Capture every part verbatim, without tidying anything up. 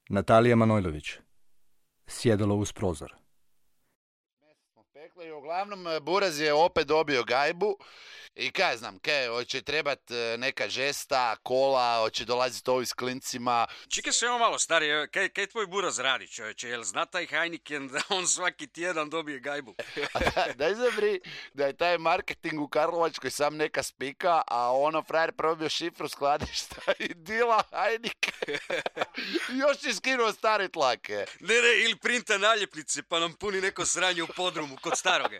Natalija Manojlović. Sjedalo uz prozor. Peklo i uglavnom Buraz je opet dobio gajbu i kaj znam, kaj, hoće trebat neka žesta, kola, hoće dolaziti ovi s klincima. Čekaj se ovo malo, stari, kaj, kaj tvoj Buraz radi, čovječe, jel zna taj Heineken da on svaki tjedan dobije gajbu? da, daj zabri da je taj marketing u Karlovačkoj sam neka spika, a ono frajer probio šifru skladišta i dila Heineken. Još je skinuo stari tlake. Ne, ne, ili printa naljepnice pa nam puni neko sranje u podrumu kod staroge.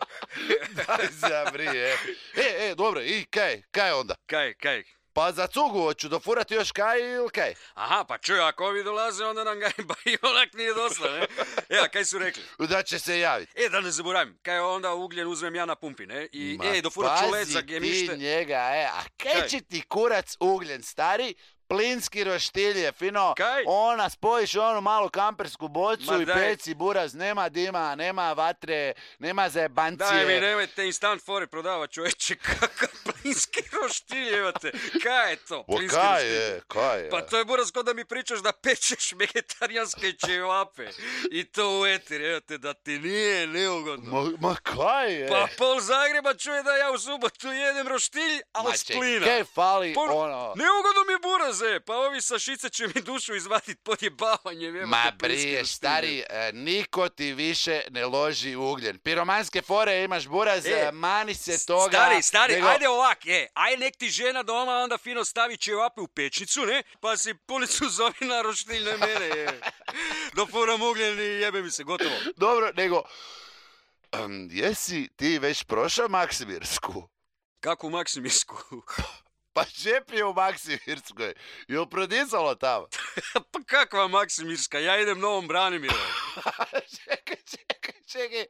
Daj zabri, e. E, e, dobro, i kaj, kaj onda? Kaj, kaj? Pa za cugu hoću dofurati još kaj ili kaj? Aha, pa čuj, ako ovi dolaze, onda nam gajba i onak nije dosta, ne? Evo, kaj su rekli? Da će se javiti. E, da ne zaboravim, kaj onda ugljen uzmem ja na pumpi, ne? I, Ma, e, dofurat ću led za gemište. Pazi ti njega, e, a kaj će ti kurac ugljen, stari? Plinski roštilj je fino, kaj? Ona spojiš onu malu kampersku bocu Ma i daj. peci Buraz, nema dima, nema vatre, nema zajebancije. Daj mi, nemojte instant fore prodavat, čovječe, kakav plinski roštilj, imate. Kaj je to, O, plinski kaj roštilj? je, kaj je? Pa to je Buraz ko da mi pričaš da pečeš vegetarijanske ćevape. I to u etir, evo te, da ti nije neugodno. Ma, ma kaj je? Pa pol Zagreba čuje da ja u subotu jedem roštilj, ali Ma s ček, plina. kaj fali, Pa, ono... neugodno mi je Buraz, e, pa ovi sa šice će mi dušu izvadit podjebavanjem. Evo Ma te plinski brije, roštilj. stari, e, niko ti više ne loži ugljen. Piromanske fore imaš, Buraz, E, mani se toga. Stari, stari, nego- ajde ovak, e, aj nek ti žena doma onda fino stavi ćevape u pečnicu, ne, pa si punicu zovi na roštilj, ne mene, je. Dofuram ugljen i jebe mi se, gotovo. Dobro, nego... em, jesi ti već prošao Maksimirsku? Kako u Maksimirsku? Pa Žep je u Maksimirskoj. Jel prodisalo tamo? Pa kakva Maksimirska, ja idem Novom Branimirom. čekaj, čekaj, čekaj.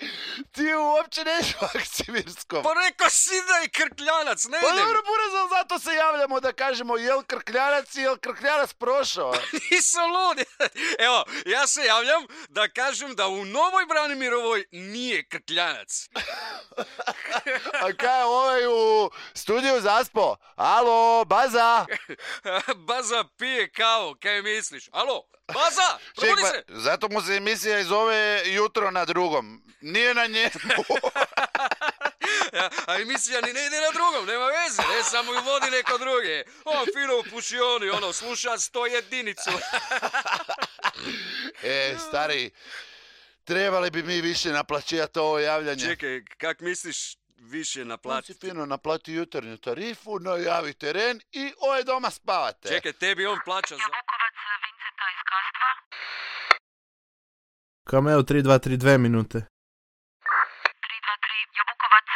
Ti uopće neš u Maksimirskom. Pa rekao si da je Krkljanac, ne Pa idem. dobro, Buraz, ali zato se javljamo da kažemo jel Krkljanac i jel Krkljanac prošao. Nisam lud. Evo, ja se javljam da kažem da u Novoj Branimirovoj nije Krkljanac. A kaj je ovaj u studiju zaspo? Alo, Baza? Baza pije kavu, kaj misliš? Alo, Baza, probudi Ček, se. pa, zato mu se emisija i zove Jutro na drugom. Nije na njemu. Ja, a emisija ni ne ide na drugom, nema veze, ne, samo ju vodi neko druge. On fino u pušioni, ono, sluša sto jedinicu. E, stari, trebali bi mi više naplaćivati ovo javljanje. Čekaj, kak misliš više On si naplatiti? fino naplati jutarnju tarifu, najavi teren i ove doma spavate. Čekaj, tebi on plaća za... Jabukovac Vinceta iz Kastva. Kameo tri dva tri dve minute. tri dva tri Jabukovac.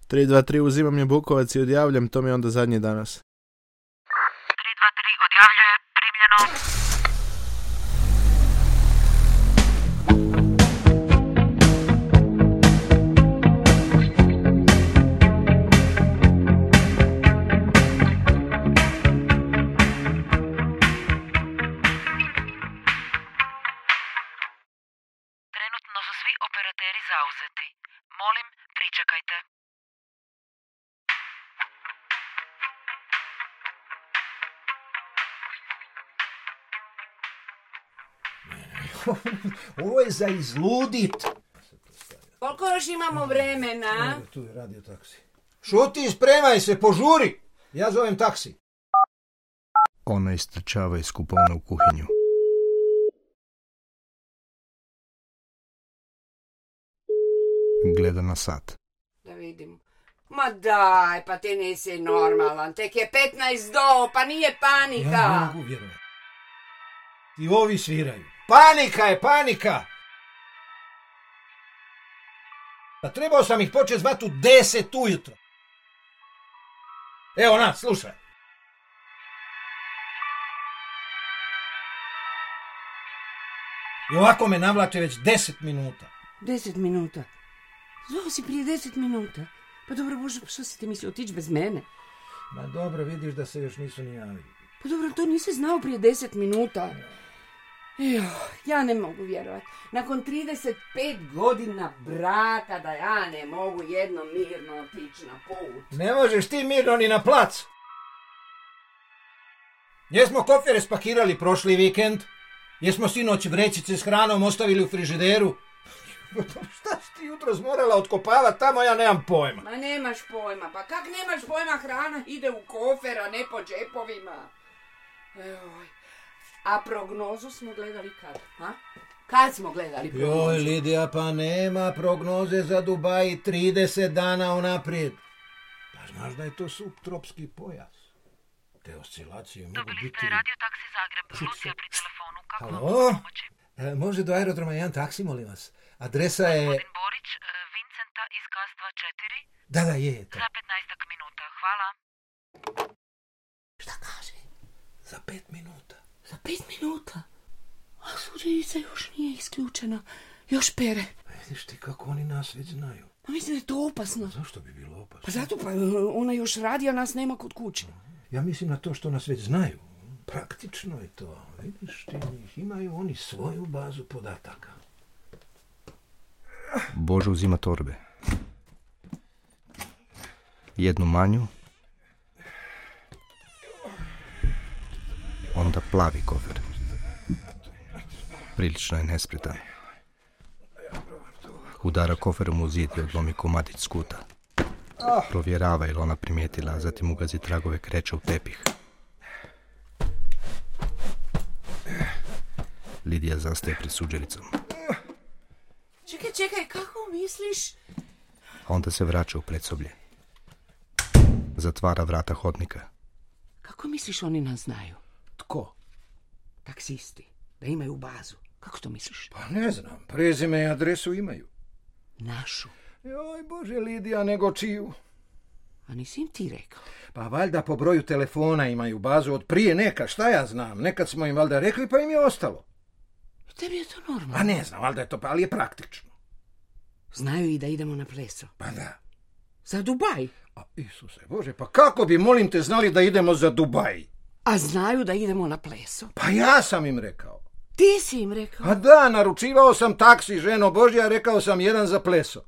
tri dva tri uzimam je Bukovac i odjavljam, to mi je onda zadnji danas. tri dva tri odjavljuje. Primljeno. Trenutno su svi operateri zauzeti. Molim, pričekajte. Ovo je za izludit. Koliko još imamo vremena? Evo, tu je radio taksi. Šuti, spremaj se, požuri. Ja zovem taksi. Ona istrčava iz kupona u kuhinju. Gleda na sat. Da vidim. Ma daj, pa ti nisi normalan. Tek je petnaest do, pa nije Ja panika. ne mogu vjerovati. I ovi sviraju. Panika je, panika! Pa trebao sam ih početi zvati u deset ujutro. Evo na, slušaj. I ovako me navlače već deset minuta. Deset minuta. Zvao si prije deset minuta. Pa dobro, Bože, pa što si ti mislio otići bez mene? Ma dobro, vidiš da se još nisu ni javili. Pa dobro, to nisi znao prije deset minuta. Jo, ja ne mogu vjerovati. Nakon trideset pet godina braka da ja ne mogu jedno mirno otići na put. Ne možeš ti mirno ni na plac. Jesmo kofere spakirali prošli vikend? Jesmo sinoć vrećice s hranom ostavili u frižideru? Šta si ti jutros morala otkopavati tamo, ja nemam pojma. Ma nemaš pojma, pa kak nemaš pojma, hrana ide u kofer, a ne po džepovima. Eoj. A prognozu smo gledali kad, a? Kad smo gledali prognozu? Joj, Lidija, pa nema prognoze za Dubai trideset dana unaprijed. Pa znaš da je to subtropski pojas. Te oscilacije mogu Dobili biti... ste radio taksi Zagreb, Lucija pri telefonu, kako Halo? mogu pomoći? E, može do aerodroma jedan taksi, molim vas. Adresa je... Gospodin Borić, e, Vincenta iz Kastva četiri, Da, da, je to. za petnaestak minuta, hvala. Šta kaže? Za pet minuta. Za pet minuta? A suđerica još nije isključena. Još pere. Vidiš ti kako oni nas već znaju. Pa mislim da je to opasno. Zašto bi bilo opasno? Pa zato pa ona još radi, a nas nema kod kuće. Ja mislim na to što nas već znaju. Praktično je to. Vidiš ti njih, imaju oni svoju bazu podataka. Božo uzima torbe. Jednu manju. Onda plavi kofer. Prilično je nespretan. Udara koferom u zid i odlomi komadić skuta. Provjerava je li ona primijetila, a zatim ugazi tragove kreća u tepih. Lidija zastaje pred suđericom. Čekaj, čekaj, kako misliš? A onda se vraća u predsoblje. Zatvara vrata hodnika. Kako misliš oni nas znaju? Tko? Taksisti. Da imaju bazu. Kako to misliš? Pa ne znam, prezime i adresu imaju. Našu. Joj, Bože, Lidija, nego čiju? A nisi im ti rekao? Pa valjda po broju telefona imaju bazu od prije neka, šta ja znam. Nekad smo im valjda rekli, pa im je ostalo. I tebi je to normalno. A ne znam, valjda je to, ali je praktično. Znaju i da idemo na pleso. Pa da. Za Dubaj. A Isuse Bože, pa kako bi, molim te, znali da idemo za Dubaj? A znaju da idemo na pleso. Pa ja sam im rekao. Ti si im rekao. A da, naručivao sam taksi, ženo Božja, rekao sam jedan za pleso.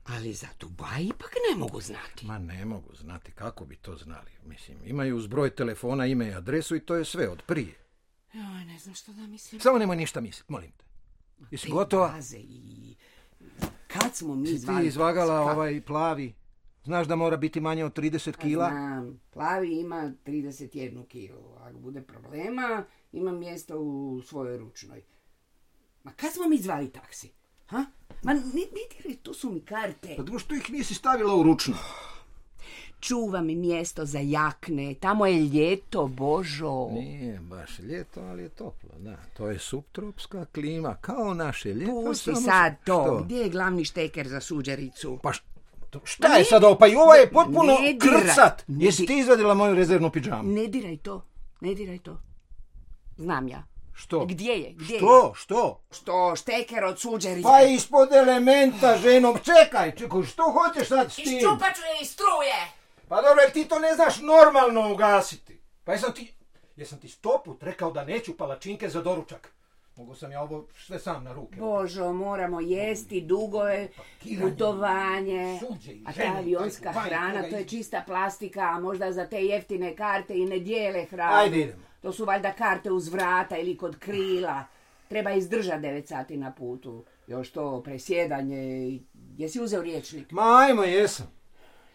Ali za Dubaj ipak ne mogu znati. Ma ne mogu znati, kako bi to znali. Mislim, imaju uz broj telefona, ime i adresu i to je sve od prije. Joj, ne znam što da mislim. Samo nemoj ništa misliti, molim te. Jesi Te gotova? baze i... Kad smo mi Si zvali... ti izvagala Kad? ovaj plavi? Znaš da mora biti manje od trideset kila? Znam, plavi ima trideset jedan kilu. Ako bude problema, ima mjesto u svojoj ručnoj. Ma kad smo mi zvali taksi? Ha? Ma ne, ne diraj, tu su mi karte. Pa što ih nisi stavila u ručno? Čuva mi mjesto za jakne, tamo je ljeto, Božo. Nije baš ljeto, ali je toplo, da. To je subtropska klima, kao naše ljeto. Pusti samo sad što- to, što? gdje je glavni šteker za suđericu? Pa š- to- šta je sad ovo? Pa i ovo je potpuno ne diraj. krcat. Ne Jesi di- ti izvadila moju rezervnu pidžamu? Ne diraj to, ne diraj to. Znam ja. Što? Gdje je, gdje je? Što? Što? Što, šteker od suđerice? Pa ispod elementa, ženo. Čekaj, čekaj, što hoćeš sad s tim? Iščupat ću je iz struje! Pa dobro, jer ti to ne znaš normalno ugasiti. Pa jesam ti, jesam ti sto put rekao da neću palačinke za doručak. Mogu sam ja ovo sve sam na ruke. Božo, moramo jesti, dugove, Pakiranje, putovanje. suđe i A ta žene, avionska taj Dubaj, hrana, toga to je iz- čista plastika, a možda za te jeftine karte i ne dijele hranu. Ajde, idemo. To su valjda karte uz vrata ili kod krila. Treba izdržati devet sati na putu. Još to presjedanje. Jesi uzeo riječnik? Ma ajmo, jesam.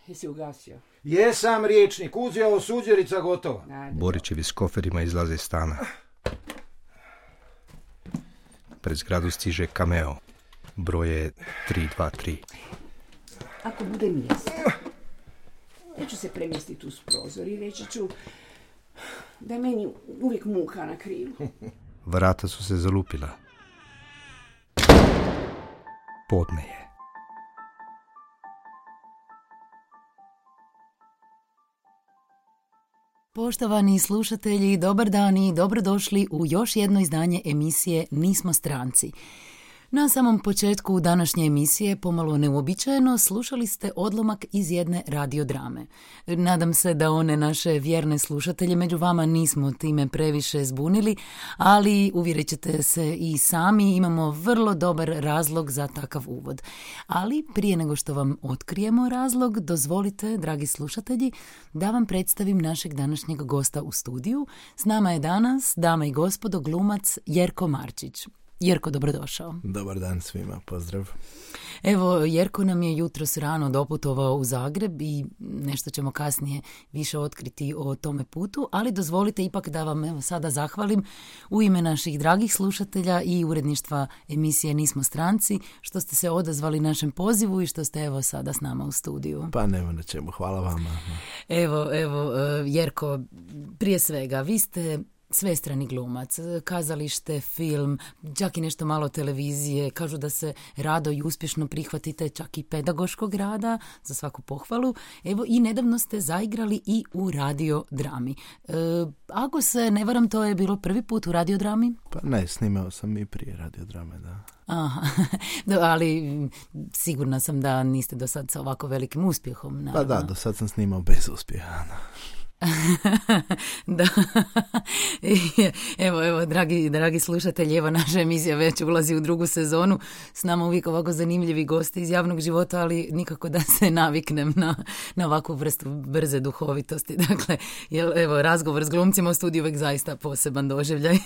Jesi ugasio? Jesam riječnik, uzeo suđerica gotova. Ajde. Borićevi s koferima izlaze iz stana. Pred zgradu stiže Cameo. Broj je tri dva tri. Ako bude mjesto, ja ću se premjestiti uz prozor i reći ću da je meni uvijek muka na krilu. Vrata su se zalupila. Podne je. Poštovani slušatelji, dobar dan i dobrodošli u još jedno izdanje emisije Nismo stranci. Na samom početku današnje emisije, pomalo neuobičajeno, slušali ste odlomak iz jedne radiodrame. Nadam se da one naše vjerne slušatelje među vama nismo time previše zbunili, ali uvjerit ćete se i sami, imamo vrlo dobar razlog za takav uvod. Ali prije nego što vam otkrijemo razlog, dozvolite, dragi slušatelji, da vam predstavim našeg današnjeg gosta u studiju. S nama je danas, dama i gospodo, glumac Jerko Marčić. Jerko, dobrodošao. Dobar dan svima, pozdrav. Evo, Jerko nam je jutros rano doputovao u Zagreb i nešto ćemo kasnije više otkriti o tome putu, ali dozvolite ipak da vam evo sada zahvalim u ime naših dragih slušatelja i uredništva emisije Nismo stranci, što ste se odazvali našem pozivu i što ste evo sada s nama u studiju. Pa nema na čemu, hvala vama. Evo, evo, Jerko, prije svega, vi ste svestrani glumac, kazalište, film, čak i nešto malo televizije, kažu da se rado i uspješno prihvatite čak i pedagoškog rada, za svaku pohvalu. Evo i nedavno ste zaigrali i u radiodrami. E, ako se ne varam, to je bilo prvi put u radiodrami? Pa ne, snimao sam i prije radiodrame, da. Aha, da, ali sigurna sam da niste do sad sa ovako velikim uspjehom. Naravno. Pa da, do sad sam snimao bez uspjeha. Da. Evo, evo, dragi, dragi slušatelji, evo naša emisija već ulazi u drugu sezonu. S nama uvijek ovako zanimljivi gosti iz javnog života, ali nikako da se naviknem na, na ovakvu vrstu brze duhovitosti. Dakle, jel, evo, razgovor s glumcima u studiju uvijek zaista poseban doživljaj.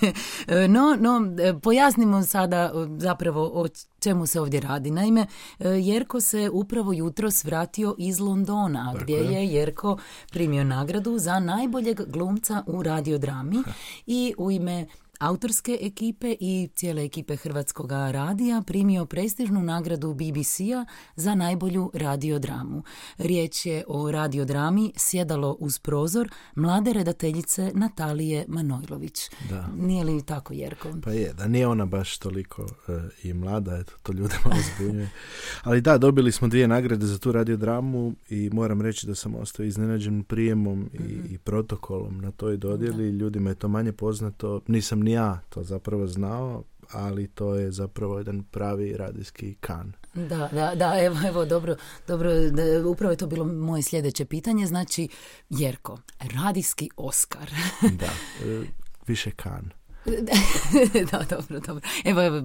No, no, pojasnimo sada zapravo o čemu se ovdje radi. Naime, Jerko se upravo jutros vratio iz Londona, gdje je Jerko primio nagradu za najboljeg glumca u radiodrami i u ime autorske ekipe i cijele ekipe Hrvatskog radija primio prestižnu nagradu B B C-a za najbolju radiodramu. Riječ je o radiodrami Sjedalo uz prozor mlade redateljice Natalije Manojlović. Da. Nije li tako, Jerko? Pa je, da nije ona baš toliko uh, i mlada, eto, to ljude malo zbunjuje. Ali da, dobili smo dvije nagrade za tu radiodramu i moram reći da sam ostao iznenađen prijemom mm-hmm. i, i protokolom na toj dodjeli. Da. Ljudima je to manje poznato, nisam ni ja to zapravo znao, ali to je zapravo jedan pravi radijski kan. Da, da, da, evo, evo, dobro, dobro, da, upravo je to bilo moje sljedeće pitanje, znači, Jerko, radijski Oskar. Da, više kan. Da, dobro, dobro. Evo, evo,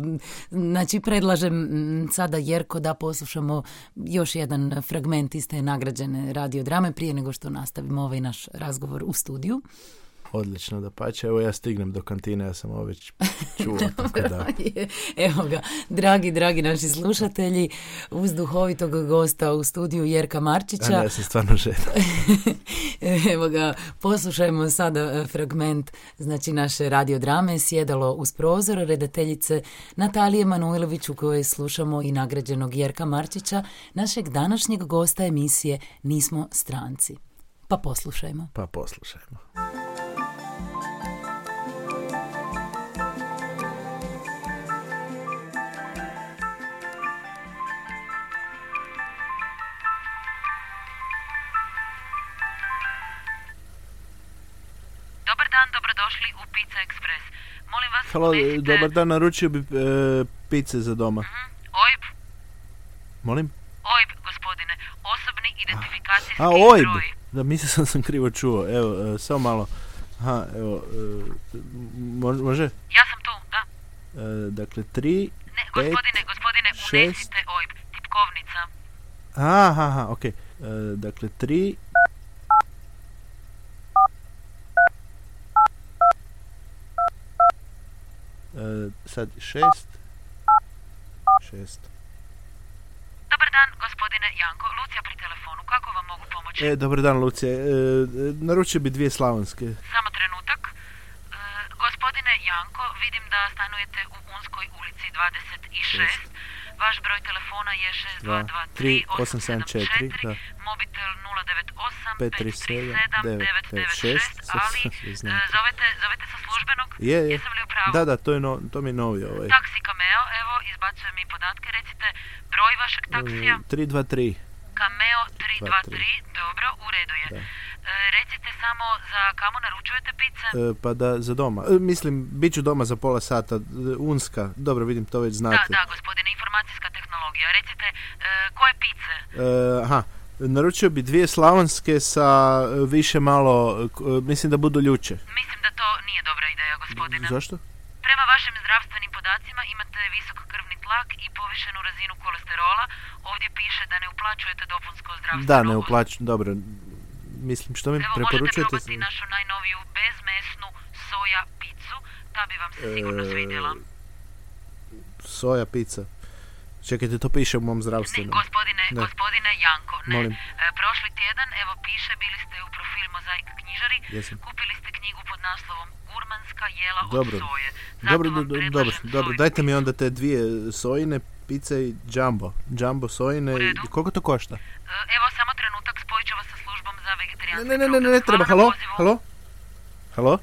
znači predlažem sada, Jerko, da poslušamo još jedan fragment iz te nagrađene radiodrame prije nego što nastavimo ovaj naš razgovor u studiju. Odlično, da pače. Evo ja stignem do kantine, ja sam ovo već čuo. Tako da. Evo ga, dragi, dragi naši slušatelji, uz duhovitog gosta u studiju Jerka Marčića. A ne, ja sam stvarno žedan. Evo ga, poslušajmo sada fragment, znači, naše radiodrame Sjedalo uz prozor redateljice Natalije Manojlović, u kojoj slušamo i nagrađenog Jerka Marčića, našeg današnjeg gosta emisije Nismo stranci. Pa poslušajmo. Pa poslušajmo. Dobar dan, dobrodošli u Pizza Express. Molim vas, halo, unesite... dobar dan, naručio bi e, pice za doma. Mm-hmm. O I B. Molim? O I B, gospodine. Osobni identifikacijski A, O I B. broj. Da, mislio sam sam krivo čuo. Evo, e, samo malo. Aha, evo, e, može? Ja sam tu, da. E, dakle, tri, Ne, gospodine, pet, gospodine, šest... unesite O I B. Tipkovnica. Aha, aha, okej. Okay. E, dakle, tri... Uh, sad šest šest Dobar dan, gospodine Janko. Lucija pri telefonu. Kako vam mogu pomoći? E, dobar dan, Lucija. E, naručio bi dvije slavonske. Samo trenutak. E, gospodine Janko, vidim da stanujete u Unskoj ulici dvadeset šest. Vaš broj telefona je šest dva dva tri osam sedam četiri, mobitel nula devet osam pet tri sedam devet devet šest, ali zovete, zovete sa službenog? Je, je. Jesam li u pravu? Da, da, to, je no, to mi je novi ovaj. Taksi Cameo, evo, izbacujem mi podatke, recite broj vašeg taksija. tri dva tri Cameo tri dva tri, dobro, u redu je. Da. recite samo za kamo naručujete pice? E, pa da, za doma. E, mislim, bit ću doma za pola sata. E, unska, dobro, vidim, to već znate. Da, da, gospodine, informacijska tehnologija. Recite, e, koje pice? E, aha, naručio bi dvije slavonske sa više malo, e, mislim da budu ljuće. Mislim da to nije dobra ideja, gospodine. Zašto? Prema vašim zdravstvenim podacima imate visok krvni tlak i povišenu razinu kolesterola. Ovdje piše da ne uplaćujete dopunsko zdravstveno. Da, ne uplaćujem, dobro. Mislim, što mi Evo, preporučujete? možete probati našu najnoviju bezmesnu soja picu. Ta bi vam se sigurno E, svidjela. Soja pizza. Čekajte, to piše u mom Ne, zdravstvenom. gospodine, Ne. gospodine Janko, ne. Molim. E, prošli tjedan, evo piše, bili ste u profil Mozaik knjižari, Jesam. kupili ste knjigu pod naslovom Gurmanska jela Dobro. od soje. Zato Dobro, vam do- do- predlažem dobro, dobro. soju. Dajte mi onda te dvije sojine pice i jumbo. Jumbo sojine. U i- redu. Koliko to košta? E, Evo samo trenutak, spojit ću vas sa službom za vegetarijanski Ne, ne, ne, ne, ne program. treba. Hvala Halo? na pozivu. Halo? Halo?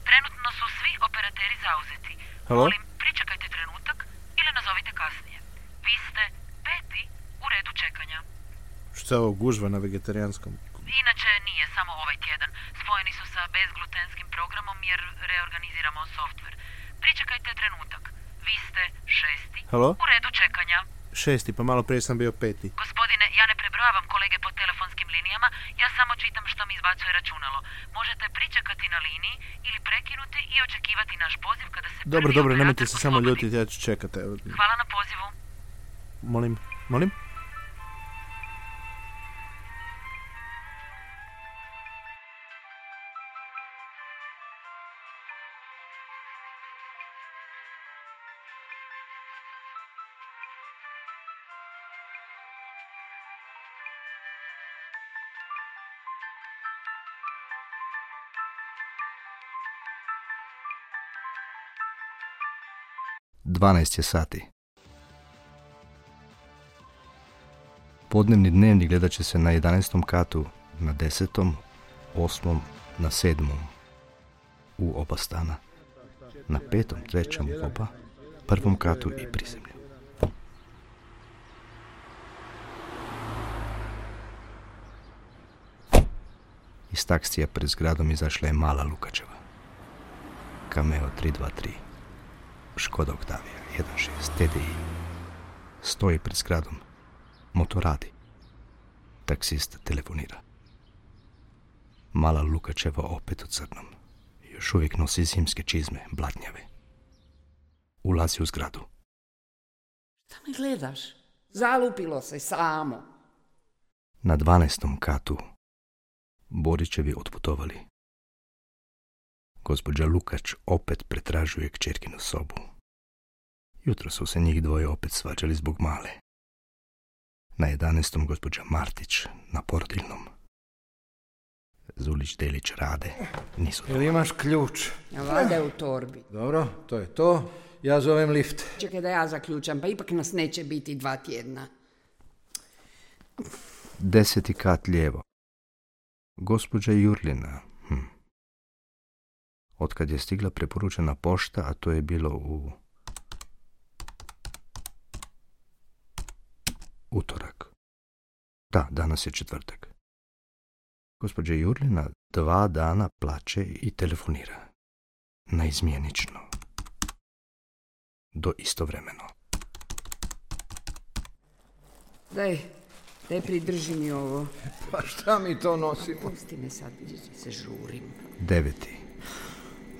Trenutno su svi operateri zauzeti. Halo? Molim, pričekajte trenutak ili nazovite kasnije. Vi ste peti u redu čekanja. Što je ovo gužva na vegetarijanskom? Inače nije samo ovaj tjedan. Spojeni su sa bezglutenskim programom jer reorganiziramo softver. Pričekajte trenutak. Vi ste šesti Halo? u redu čekanja. Šesti, pa malo prije sam bio peti. Gospodine, ja ne prebrojavam kolege po telefonskim linijama, ja samo čitam što mi izbacuje računalo. Možete pričekati na liniji ili prekinuti i očekivati naš poziv kada se Dobro, prvi dobro, operator nemojte se samo oslobodi. ljutiti, ja ću čekati. Evo. Hvala na pozivu. Molim, molim? dvanaest je sati. Podnevni dnevnik gledat će se na jedanaestom katu, na desetom, osmom, na sedmom u oba stana, na petom, trećem u oba, prvom katu i prizemlju. Iz taksija pred zgradom izašla je mala Lukačeva. Cameo tri dva tri. Škoda Octavia jedan šest T D I. Stoji pred zgradom. Motor radi. Taksist telefonira. Mala Lukačeva opet u crnom. Još uvijek nosi zimske čizme, blatnjave. Ulazi u zgradu. Šta me gledaš? Zalupilo se samo. Na dvanaestom katu Borićevi otputovali. Gospođa Lukač opet pretražuje kćerkinu sobu. Jutro su se njih dvoje opet svađali zbog male. Na jedanaestom gospođa Martić, na porodiljnom. Zulić, Delić, Rade, nisu Jel imaš ključ? Ja valjda je u torbi. Dobro, to je to. Ja zovem lift. Čekaj da ja zaključam, pa ipak nas neće biti dva tjedna. Deseti kat lijevo. Gospođa Jurlina. Hm. Otkad je stigla preporučena pošta, a to je bilo u utorak. Da, danas je četvrtak. Gospođa Jurlina dva dana plače i telefonira. Naizmjenično. Do istovremeno. Daj, daj pridrži mi ovo. Pa šta mi to nosimo? Pusti me sad, se žurim. Deveti.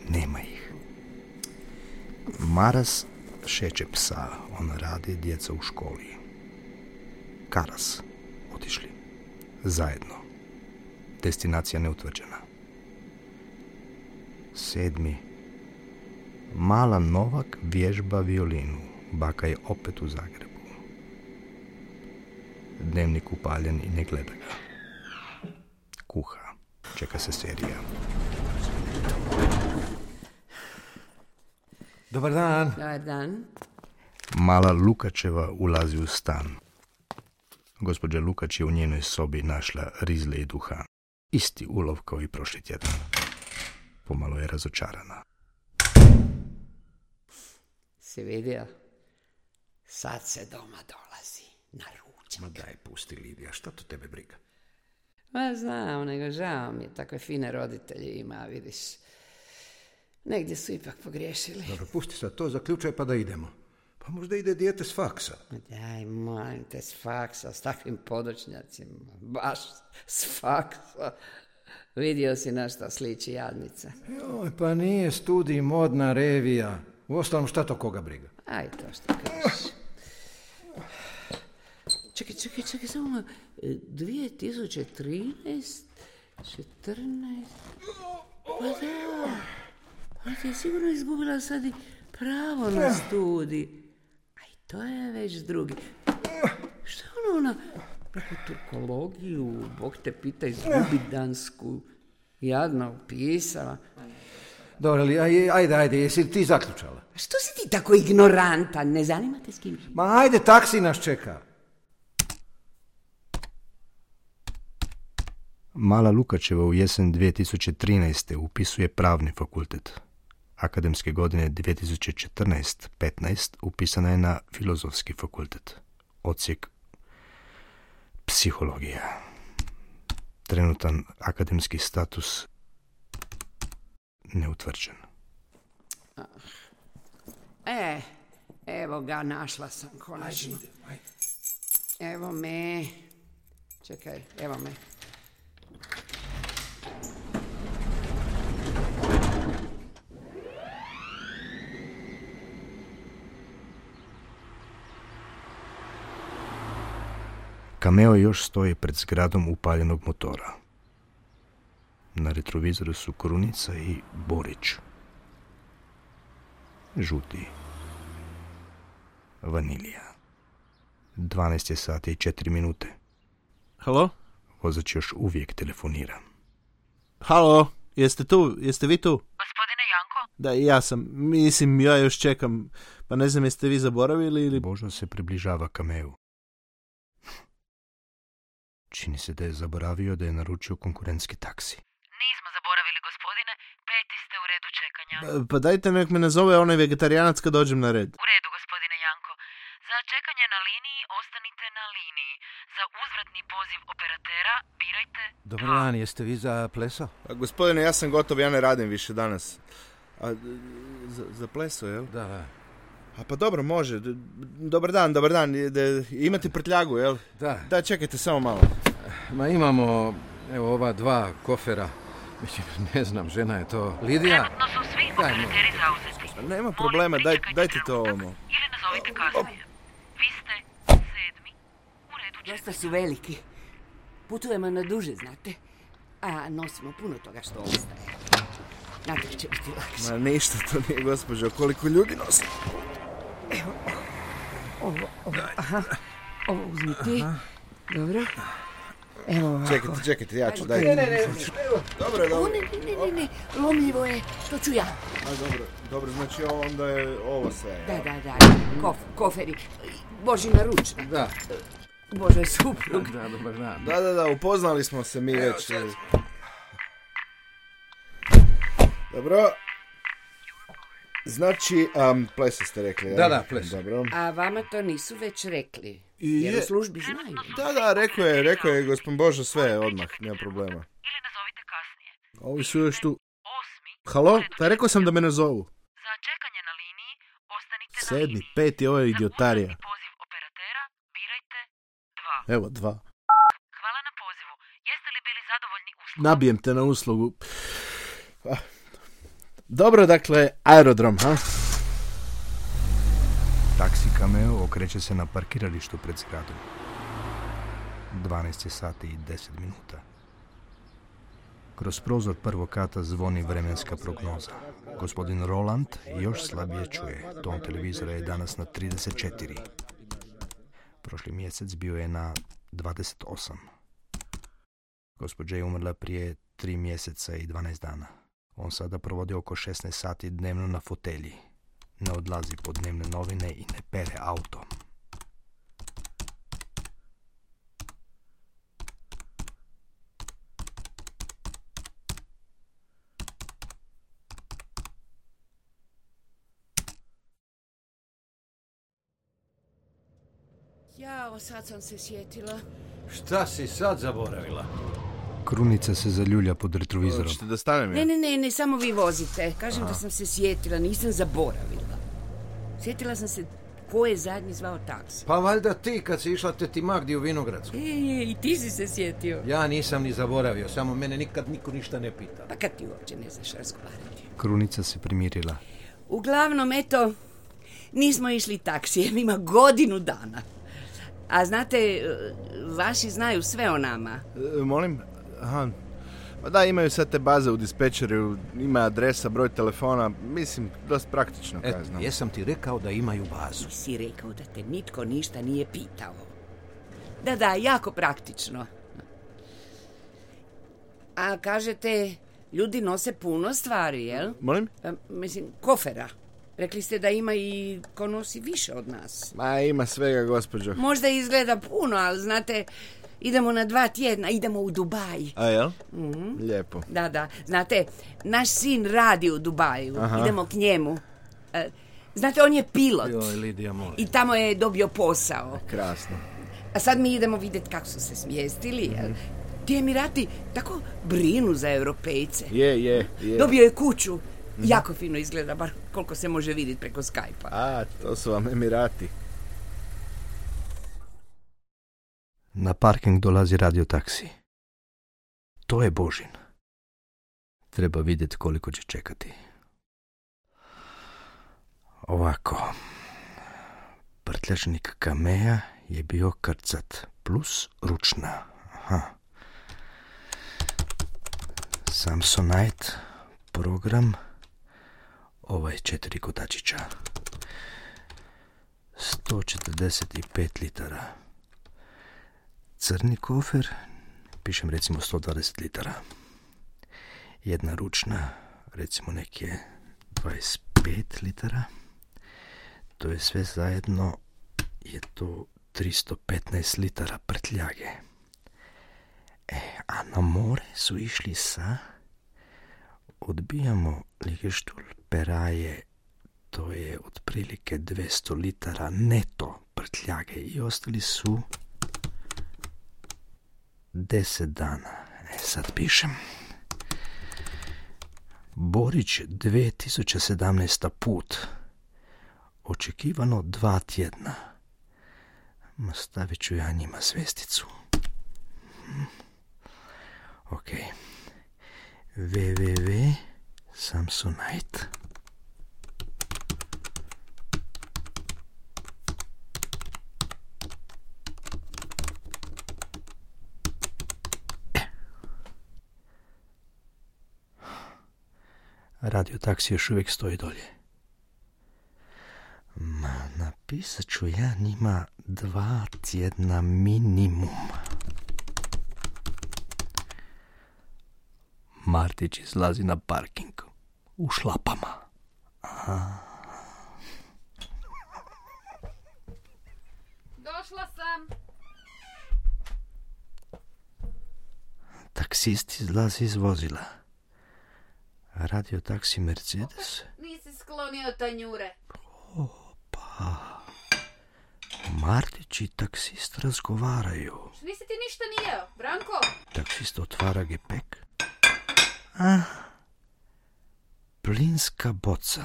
Nema ih. Maras šeće psa. On radi, djeca u školi. Karas. Otišli. Zajedno. Destinacija neutvrđena. Sedmi. Mala Novak vježba violinu. Baka je opet u Zagrebu. Dnevnik upaljen i ne gleda ga. Kuha. Čeka se serija. Dobar dan. Dobar dan. Mala Lukačeva ulazi u stan. Gospođa Lukač je u njenoj sobi našla rizle i duhan. Isti ulov kao i prošli tjedan. Pomalo je razočarana. Si vidio? Sad se doma dolazi na ručak. Ma daj, pusti Lidija, šta to tebe briga? Ma znam, nego žao mi je, takve fine roditelje ima, vidiš. Negdje su ipak pogriješili. Dobro, pusti sad to, zaključaj pa da idemo. Pa možda ide dijete s faksa. Daj, molim te, s faksa, s takvim podočnjacima, baš s faksa. Vidio si na šta sliči jadnica. Joj, pa nije studij modna revija. Uostalom, šta to koga briga? Aj, to što kažeš. Čekaj, čekaj, čekaj, samo malo. dvije tisuće trinaest, četrnaest... Pa da, pa ti je sigurno izgubila sad i pravo na studij. Aj, to je već drugi. Šta je ono, ona, neku turkologiju, Bog te pita, izgubi dansku, jadno upisala. Dobro, ali aj, ajde, ajde, jesi li ti zaključala? Što si ti tako ignorantan, ne zanima te s kim? Ma ajde, taksi nas čeka. Mala Lukačeva u jesen dvije tisuće trinaeste. upisuje pravni fakultet. Akademske godine dvije tisuće četrnaeste petnaest. upisana je na filozofski fakultet. Odsjek psihologija. Trenutan akademski status neutvrđen. E, evo ga, našla sam konačno. Evo me. Čekaj, evo me. Cameo još stoji pred zgradom upaljenog motora. Na retrovizoru su Korunica i Borić. Žuti. Vanilija. dvanaest je sati i četiri minute. Halo? Vozač još uvijek telefonira. Halo, jeste tu? Jeste vi tu? Gospodine Janko? Da, ja sam. Mislim, ja još čekam. Pa ne znam, jeste vi zaboravili ili... Božo se približava Cameu. Čini se da je zaboravio da je naručio konkurentski taksi. Nismo zaboravili, gospodine. Peti ste u redu čekanja. Pa dajte nek me nazove onaj vegetarijanac kad dođem na red. U redu, gospodine Janko. Za čekanje na liniji ostanite na liniji. Za uzvratni poziv operatera birajte Dobar dva. dan, jeste vi za pleso? A, gospodine, ja sam gotov, ja ne radim više danas. A, za, za pleso, jel? Da, da. A pa dobro, može. D- Dobar dan, dobar dan. De, imate prtljagu, jel? Da. Da, čekajte samo malo. Ma imamo, evo, ova dva kofera. Mislim, ne znam, žena je to. Lidija? Trenutno su svi Daj, operateri zauzeti. Pa nema Molim, problema, daj, pričekajte dajte to trenutak ovamo. Ili nazovite kasnije. Vi ste sedmi u redu čekanja. Dosta su veliki. Putujemo na duže, znate. A nosimo puno toga što ostaje. Znate, će biti lakše. Ma ništa to nije, gospođo. Koliko ljudi nosi? Ovo, ovo, aha. Ovo uzmi ti. Dobro. Evo ovako. Čekajte, čekajte, ja ću, Ne, dajte. ne, ne, ne. Dobro, O, dobro. ne, ne, ne, ne, ne. Lomljivo je. To ću ja. A, dobro, dobro, znači ovo onda je ovo sve. Da, da, da. Kof, koferi. Božina ručna. Da. Božoj suprug. Da, dobar dan. Da, da, da, upoznali smo se mi već. Dobro. Znači, um, pleso ste rekli, Da, ja? da, pleso. Dobro. A vama to nisu već rekli. I Jer je- u službi znaju. Da, da, rekao je, rekao je gospodin Božo sve odmah, nema problema. Ili nazovite kasnije. Ovi su još tu. Osmi. Halo? u redu Pa rekao sam da me ne zovu. Za čekanje na liniji ostanite na Sedmi, liniji. peti, ovo je Za idiotarija. uzvratni poziv operatera birajte dva. Evo, dva. Hvala na pozivu. Jeste li bili zadovoljni uslugom? Nabijem te na uslugu. Ah. Dobro, dakle, aerodrom, ha? Taksi Cameo okreće se na parkiralištu pred zgradom. dvanaest je sati i deset minuta. Kroz prozor prvog kata zvoni vremenska prognoza. Gospodin Roland još slabije čuje. Ton televizora je danas na trideset četiri. Prošli mjesec bio je na dvadeset osam. Gospođa je umrla prije tri mjeseca i dvanaest dana. On sada provodi oko šesnaest sati dnevno na fotelji. Ne odlazi po dnevne novine i ne pere auto. Jao, sad sam se sjetila. Šta si sad zaboravila? Krunica se zaljulja pod retrovizorom. Hoćete da stanem Ne, ja? ne, ne, ne, samo vi vozite. Kažem da sam se sjetila, nisam zaboravila. Sjetila sam se ko je zadnji zvao taksi. Pa valjda ti kad si išla teti Magdi u Vinogradsku. E, i ti si se sjetio. Ja nisam ni zaboravio, samo mene nikad niko ništa ne pita. Pa kad ti uopće ne znaš razgovarati. Krunica se primirila. Uglavnom, eto, nismo išli taksijem, ima godinu dana. A znate, vaši znaju sve o nama. E, molim? Aha. Pa da, imaju sad te baze u dispečeru, ima adresa, broj telefona, mislim, dosta praktično, kaj Et, znam. jesam ti rekao da imaju bazu. Si rekao da te nitko ništa nije pitao. Da, da, jako praktično. A kažete, ljudi nose puno stvari, jel? Molim? A, mislim, kofera. Rekli ste da ima i ko nosi više od nas. Ma, ima svega, gospođo. Možda izgleda puno, ali znate, idemo na dva tjedna, idemo u Dubaj. A jel? Mhm. Lijepo. Da, da. Znate, naš sin radi u Dubaju. Aha. Idemo k njemu. E, znate, on je pilot. Joj, Lidija, molim. I tamo je dobio posao. Krasno. A sad mi idemo vidjeti kako su se smjestili. Jel? Ti Emirati tako brinu za Europejce. Je, je, je. Dobio je kuću. Jako fino izgleda, bar koliko se može vidjeti preko Skype-a. A, to su vam Emirati. Na parking dolazi radio taksi. To je Božin. Treba vidjeti koliko će čekati. Ovako. Prtljačnik Kamea je bio krcat plus ručna. Aha. Samsonite program. Ovaj četiri kotačića. sto četrdeset pet litara. Crni kofer, pišem recimo sto dvadeset litara. Jedna ručna, recimo neke dvadeset pet litara. To je sve zajedno, je to tristo petnaest litara prtljage. E, a na more su išli sa, odbijamo Ligeštulj Peraje, to je otprilike dvjesto litara neto prtljage i ostali su deset dana. E, sad pišem. Borić dvije tisuće sedamnaesta put. Očekivano dva tjedna. Ma stavit ću ja njima svesticu. Hm. Ok. www Samsonite. Radio taksi još uvijek stoji dolje. Ma, napisat ću ja njima dva tjedna minimum. Martić izlazi na parking. U šlapama. Aha. Došla sam. Taksist izlazi iz vozila. Radio taksi Mercedes. Nisi sklonio tanjure. Opa. Martić i taksist razgovaraju. Nisi ti ništa ni jeo, Branko? Taksist otvara gepek. Ah. Plinska boca.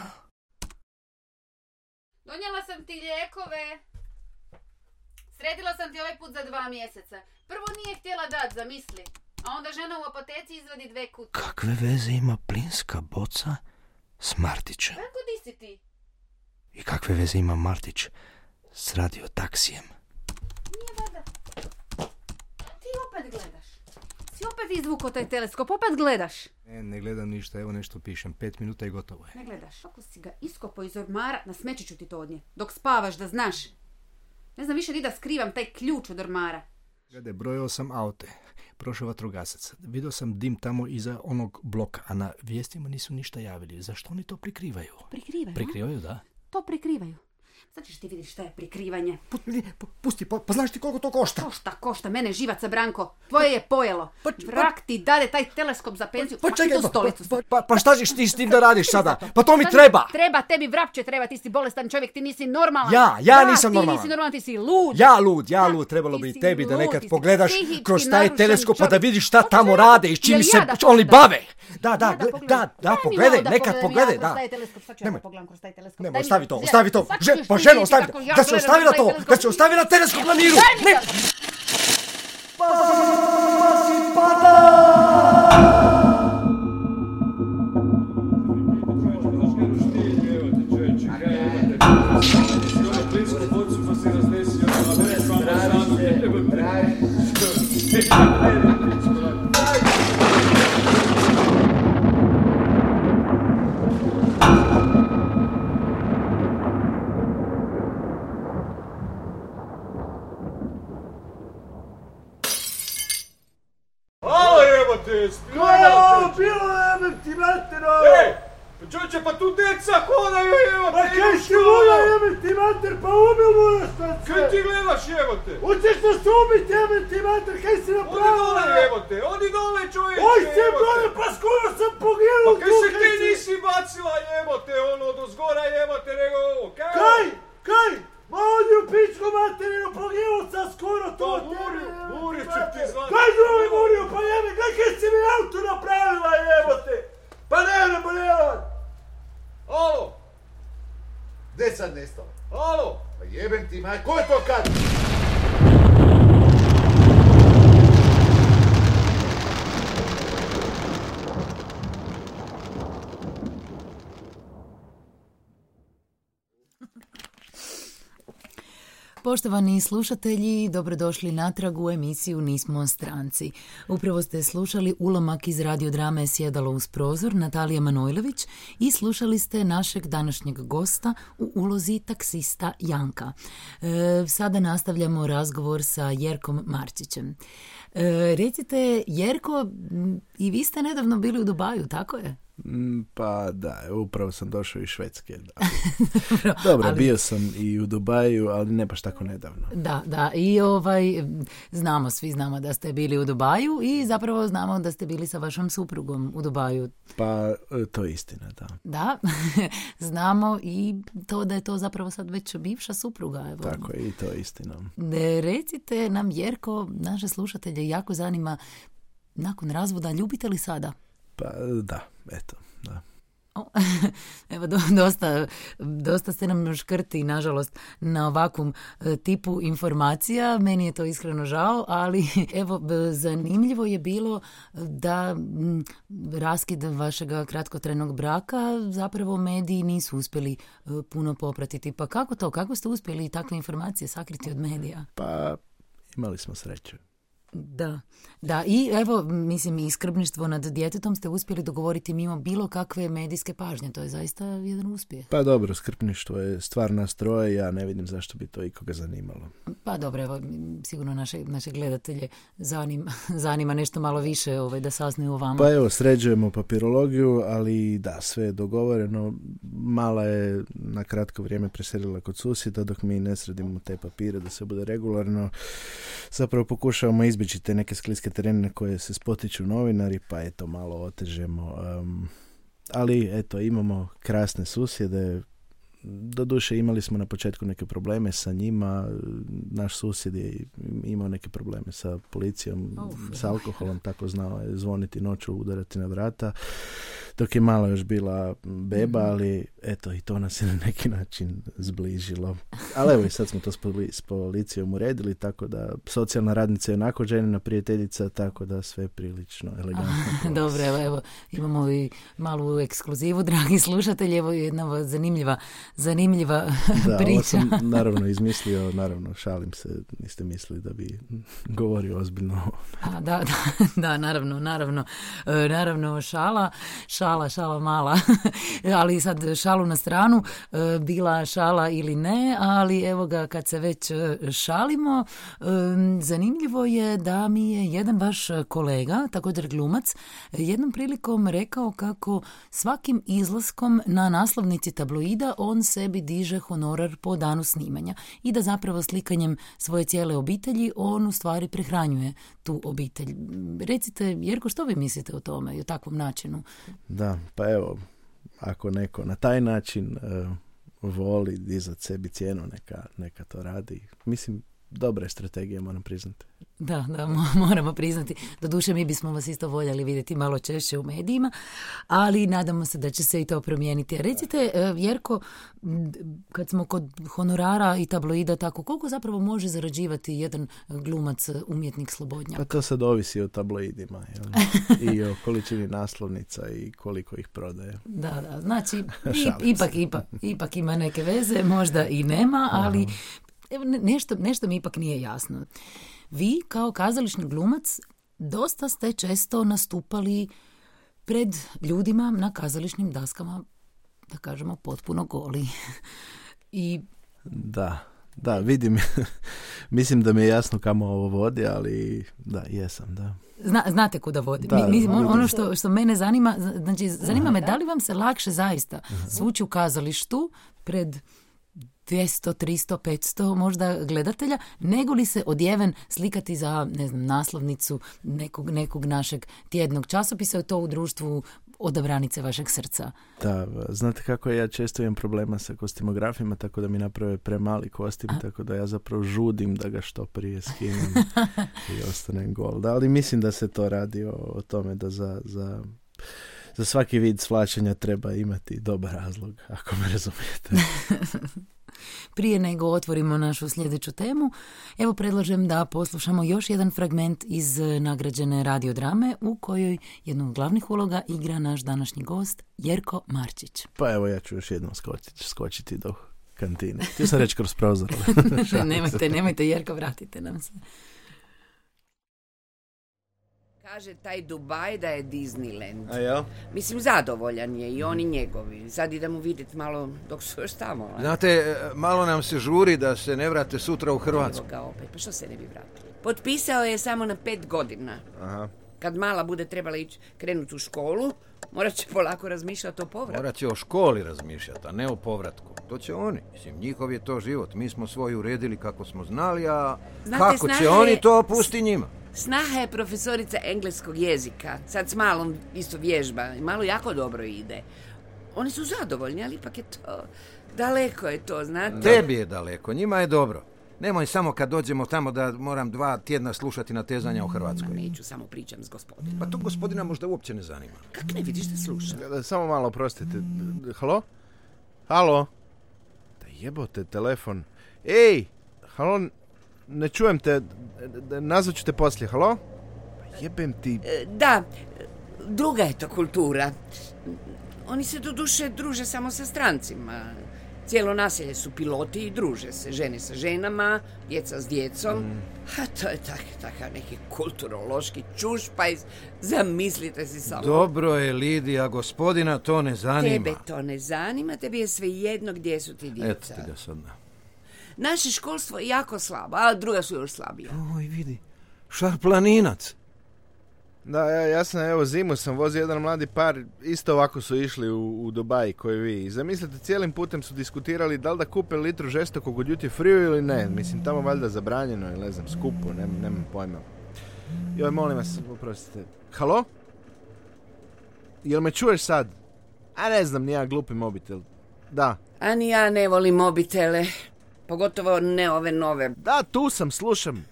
Donijela sam ti lijekove. Sredila sam ti ovaj put za dva mjeseca. Prvo nije htjela dat, zamisli. A onda žena u apoteci izvadi dve kutije. Kakve veze ima plinska boca s Martićem? Branko, di si ti? I kakve veze ima Martić s radio taksijem? Nije vada. Ti opet gledaš. Si opet izvukao taj teleskop, opet gledaš. Ne, ne gledam ništa, evo nešto pišem. Pet minuta i gotovo je. Ne gledaš. Ako si ga iskopao iz ormara, na smeće ću ti to odnije. Dok spavaš, da znaš. Ne znam više ni da skrivam taj ključ od ormara. Gledaj, brojao sam aute. Prošao vatrogasac. Vidio sam dim tamo iza onog bloka, a na vijestima nisu ništa javili. Zašto oni to prikrivaju? Prikrivaju, Prikrivaju, da. To prikrivaju. Sad ćeš ti vidjeti šta je prikrivanje. Pusti, pa, pa znaš ti koliko to košta? Košta, košta, mene živaca, Branko. Tvoje je pojelo. Pa, Vrak ti dade taj teleskop za penziju. Pa, pa čekaj, pa, pa, pa, pa, pa šta ćeš ti s tim da radiš sada? Pa to mi treba! Treba, tebi vrapće treba, ti si bolestan čovjek, ti nisi normalan. Ja, ja da, nisam normalan. Ti nisi normalan, ti si lud. Ja lud, ja lud, da, trebalo bi tebi da lud, nekad ti pogledaš kroz taj teleskop pa da vidiš šta Hoćeš tamo ja rade i čim Jel se ja da oni pogledam? bave. Da, da, Ja da gle- pogledam. da, da, Daj mi pogledaj, malo da nekad pogledam pogledaj, ja da. kroz taj teleskop, sad ću ja Nemoj. da pogledam kroz taj teleskop. Nemoj, Daj mi- ostavi to, ja- ostavi to. sad ću Že- još Pa vidjeti ženo, ostavi kako to. ja Da se gledam ostavi na kroz taj to, teleskop. da se ostavi na teleskop na miru. Daj mi Ne. to. Halo jebote, Kao, bilo jebem ti matero! Ej, pa čovječe, pa tu djeca hodaju jebote! Pa kaj si voda jebem ti mater, pa ubil moraš sad se! Kaj ti gledaš jebote? Hoćeš nas ubit jebem ti mater, kaj si Odi napravila? dole jebote, odi dole čovječe Oj se jebote. brole, pa skoro sam poginuo Pa kaj tu, se kaj ti si- nisi bacila jebote, ono od ozgora jebote, nego ovo, kaj? Kaj? Kaj? Ma odi u pičku materinu, poginuo sam skoro tu Pa od tebe, Murio, jebote, Murio ću ti mater. zvati. Kaj zove Murio, pa jebe, kaj kaj si mi auto napravila jebote? Pa ne, ne, ne, ne. Alo, Gdje sad nestalo? alo, Pa jebem ti maj, ko je to kad? Poštovani slušatelji, dobrodošli natrag u emisiju Nismo stranci. Upravo ste slušali ulomak iz radiodrame Sjedalo uz prozor Natalija Manojlović i slušali ste našeg današnjeg gosta u ulozi taksista Janka. E, sada nastavljamo razgovor sa Jerkom Marčićem. E, recite, Jerko, i vi ste nedavno bili u Dubaju, tako je? Mm, Pa da, upravo sam došao iz Švedske. Da. Dobro, ali- bio sam i u Dubaju, ali ne baš tako nedavno. Da, da, i ovaj, znamo, svi znamo da ste bili u Dubaju i zapravo znamo da ste bili sa vašom suprugom u Dubaju. Pa e, to je istina, da. Da, znamo i to da je to zapravo sad već bivša supruga. Evo. Tako je, i to je istina. Ne, recite nam, Jerko, naše slušatelje jako zanima, nakon razvoda ljubite li sada? Pa da, eto, da. O, evo, do, dosta, dosta ste nam škrti, nažalost, na ovakvom e, tipu informacija. Meni je to iskreno žao, ali evo, b- zanimljivo je bilo da m, raskid vašeg kratkotrajnog braka zapravo mediji nisu uspjeli e, puno popratiti. Pa kako to? Kako ste uspjeli takve informacije sakriti od medija? Pa imali smo sreće. Da, da, i evo, mislim, i skrbništvo nad djetetom ste uspjeli dogovoriti mimo bilo kakve medijske pažnje. To je zaista jedan uspjeh. Pa dobro, skrbništvo je stvar nas troje, ja ne vidim zašto bi to ikoga zanimalo. Pa dobro, evo, sigurno naše, naše gledatelje zanima, zanima nešto malo više ovaj, da saznaju o vama. Pa evo, sređujemo papirologiju, ali da, sve je dogovoreno. Mala je na kratko vrijeme preselila kod susjeda, dok mi ne sredimo te papire da se bude regularno. Zapravo pokušavamo izbjeći te neke skliske terene na koje se spotiču novinari, pa eto, malo otežemo. Um, ali eto, imamo krasne susjede. Doduše imali smo na početku neke probleme sa njima, naš susjed je imao neke probleme sa policijom, Uf. s alkoholom, tako znao je zvoniti noću, udarati na vrata, dok je mala još bila beba, ali eto i to nas je na neki način zbližilo. Ali evo i sad smo to s, poli- s policijom uredili, tako da socijalna radnica je onako ženina prijateljica, tako da sve prilično elegantno prolazi. Dobro, evo, evo, imamo i malu ekskluzivu, dragi slušatelji, evo jedna zanimljiva, zanimljiva Da, priča. ovo sam naravno izmislio, naravno šalim se, niste mislili da bi govorio ozbiljno. A, da, da, da, naravno, naravno, e, naravno šala, šala, šala mala, ali sad šalu na stranu, e, bila šala ili ne, ali evo ga kad se već e, šalimo, e, zanimljivo je da mi je jedan vaš kolega, također glumac, jednom prilikom rekao kako svakim izlaskom na naslovnici tabloida on on sebi diže honorar po danu snimanja i da zapravo slikanjem svoje cijele obitelji on u stvari prehranjuje tu obitelj. Recite, Jerko, što vi mislite o tome i o takvom načinu? Da, pa evo, ako neko na taj način uh, voli dizat sebi cijenu, neka, neka to radi. Mislim, dobra je strategija, moram priznati. Da, da, moramo priznati. Doduše, mi bismo vas isto voljeli vidjeti malo češće u medijima, ali nadamo se da će se i to promijeniti. Recite, Jerko, kad smo kod honorara i tabloida, tako, koliko zapravo može zarađivati jedan glumac, umjetnik, slobodnjak? Pa to sad ovisi o tabloidima, jel? I o količini naslovnica i koliko ih prodaje. Da, da, znači, i, ipak, ipak, ipak ima neke veze, možda i nema, ali evo, nešto, nešto mi ipak nije jasno. Vi, kao kazališni glumac, dosta ste često nastupali pred ljudima na kazališnim daskama, da kažemo, potpuno goli. I... Da, da, vidim. Mislim da mi je jasno kamo ovo vodi, ali da, jesam, da. Zna, znate kuda vodi. Da, mi, mi, ono što, što mene zanima, znači, zanima me da li vam se lakše zaista svući u kazalištu pred dvjesto, tristo, petsto možda gledatelja, nego li se odjeven slikati za, ne znam, naslovnicu nekog, nekog našeg tjednog časopisa i to u društvu odabranice vašeg srca. Da, znate kako ja često imam problema sa kostimografima, tako da mi naprave premali kostim, A? tako da ja zapravo žudim da ga što prije skinem i ostanem gol. Da, ali mislim da se to radi o, o tome da za... za Za svaki vid svlačenja treba imati dobar razlog, ako me razumijete. Prije nego otvorimo našu sljedeću temu, evo predlažem da poslušamo još jedan fragment iz nagrađene radiodrame u kojoj jednu od glavnih uloga igra naš današnji gost Jerko Marčić. Pa evo ja ću još jednom skočiti, skočiti do kantine. Htio sam reći kroz prozor. nemojte, nemojte Jerko, vratite nam se. Kaže taj Dubaj da je Disneyland. A jel? Mislim, zadovoljan je i oni njegovi. Sad idemo vidjeti malo dok su još tamo. A? Znate, malo nam se žuri da se ne vrate sutra u Hrvatsku. Evo ga opet, pa što se ne bi vratili? Potpisao je samo na pet godina. Aha. Kad mala bude trebala ići krenuti u školu, morat će polako razmišljati o povratku. Morat će o školi razmišljati, a ne o povratku. To će oni. Mislim, njihov je to život. Mi smo svoj uredili kako smo znali, a Znate, kako će oni, je... to pusti njima. Snaha je profesorica engleskog jezika. Sad s malom isto vježba. Malo jako dobro ide. Oni su zadovoljni, ali ipak je to... Daleko je to, znate. Tebi je daleko, njima je dobro. Nemoj samo kad dođemo tamo da moram dva tjedna slušati natezanja u Hrvatskoj. Ma neću, samo pričam s gospodinom. Pa to gospodina možda uopće ne zanima. Kak ne vidiš da slušam? Samo malo, prostite. Halo? Halo? Da jebote telefon. Ej! Halo? Ne čujem te. Nazvat ću te poslije. Halo? Pa jebem ti. Da, druga je to kultura. Oni se do duše druže samo sa strancima. Cijelo naselje su piloti i druže se. Žene sa ženama, djeca s djecom. Mm. A to je tak, takav neki kulturološki čušpajz. Zamislite si samo. Dobro je, Lidija, gospodina to ne zanima. Tebe to ne zanima, tebi je svejedno gdje su ti djeca. Eto ti ga sad. Naše školstvo je jako slabo, a druga su još slabija. Oj, vidi, šarplaninac. Da, ja, ja sam, evo, zimu sam vozio jedan mladi par, isto ovako su išli u, u Dubai koji vi. I zamislite, cijelim putem su diskutirali da li da kupe litru žestokog od duty free ili ne. Mislim, tamo valjda zabranjeno ili ne znam, skupo, ne, nemam pojma. Joj, molim vas, oprostite. Halo? Jel me čuješ sad? A ne znam, nija glupi mobitel. Da. A ni ja ne volim mobitele. Pogotovo ne ove nove. Da, tu sam, slušam.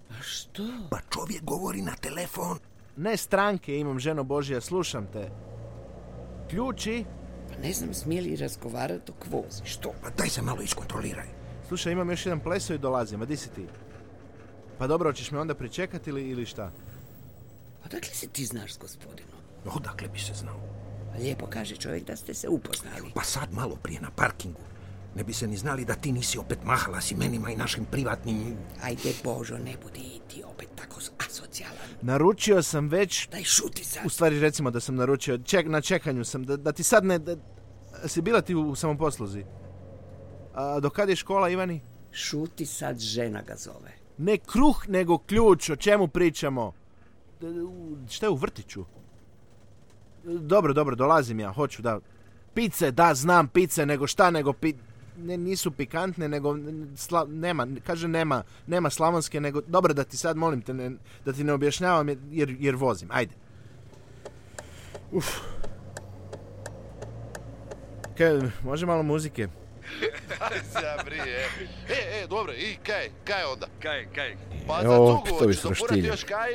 A što? Pa čovjek govori na telefon. Ne stranke, imam, ženo Božja, slušam te. Ključi? Pa ne znam, smije li razgovarati dok vozi. Što? Pa daj se malo iskontroliraj. Slušaj, imam još jedan pleso i dolazim, a di si ti? Pa dobro, hoćeš me onda pričekati ili, ili šta? Pa dakle se ti znaš s gospodinom? Odakle bi se znao? Pa lijepo kaže čovjek da ste se upoznali. Pa sad malo prije na parkingu. Ne bi se ni znali da ti nisi opet mahala s imenima i našim privatnim... Ajde, Božo, ne budi i ti opet tako asocijalan. Naručio sam već... Daj, šuti sad. U stvari, recimo da sam naručio. Ček, na čekanju sam. Da, da ti sad ne... Da, si bila ti u samoposluzi? A do kad je škola, Ivani? Šuti sad, žena ga zove. Ne kruh, nego ključ. O čemu pričamo? Šta je u vrtiću? Dobro, dobro, dolazim ja. Hoću, da... pice, da, znam pice, nego šta, nego pi... Ne, nisu pikantne, nego sla, nema, kaže nema, nema slavonske, nego, dobro da ti sad molim te, ne, da ti ne objašnjavam jer, jer vozim, ajde. Uf. Kaj, može malo muzike? Aj zabri, e. E, e, dobro, i kaj, kaj onda? Kaj, kaj? Pa za tugu, hoću zapurati još kaj?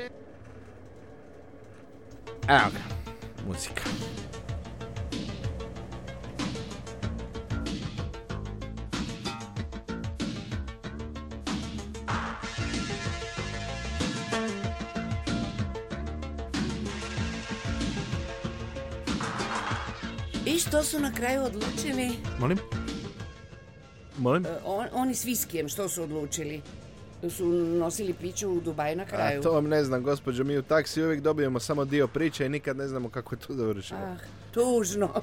Evo ga, muzika. I što su na kraju odlučili? Molim? Molim? Uh, on, oni s viskijem, što su odlučili? Su nosili piću u Dubaju na kraju? A to vam ne znam, gospođo, mi u taksi uvijek dobijemo samo dio priče i nikad ne znamo kako je to završilo. Ah, tužno.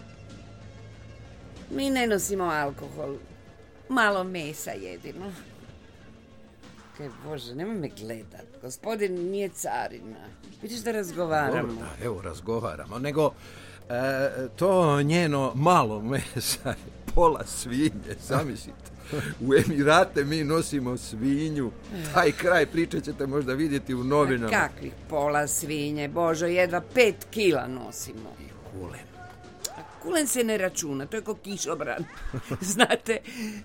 Mi ne nosimo alkohol. Malo mesa jedino. Kaj Bože, nemoj me gledat. Gospodin nije carina. Vidiš da razgovaramo. Dobro, da, evo razgovaramo, nego... E, to njeno malo mesa, pola svinje, zamislite. U Emirate mi nosimo svinju. Taj kraj priče ćete možda vidjeti u novinama. A kakvih pola svinje, Božo, jedva pet kila nosimo. I kulen. A kulen se ne računa, to je ko kišobran. Znate,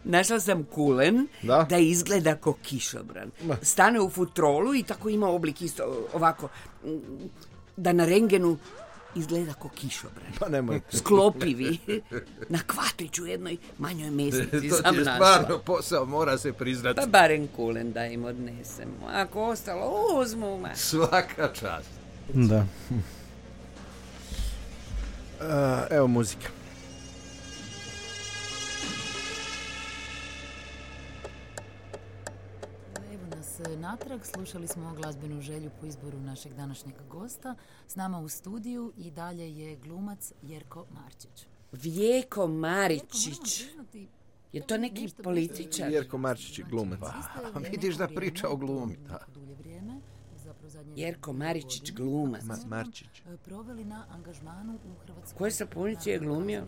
našla sam kulen da, da izgleda ko kišobran. Stane u futrolu i tako ima oblik isto ovako, da na rengenu izgleda ko kišobran. Pa nemoj. Sklopivi. Na kvatiću jednoj manjoj mesnici to sam našla. To je stvarno posao, mora se priznati. Pa barem kulen da im odnesemo. Ako ostalo, uzmu ma. Svaka čast. Da. Uh, evo muzika. Natrag slušali smo glazbenu želju po izboru našeg današnjeg gosta. S nama u studiju i dalje je glumac Jerko Marčić. Vijeko Maričić. Je to neki političar? Jerko Marčić je glumac. Pa, vidiš da priča o glumi. Da. Jerko Maričić glumac. Ma, Marčić. Koje sapunici je glumio?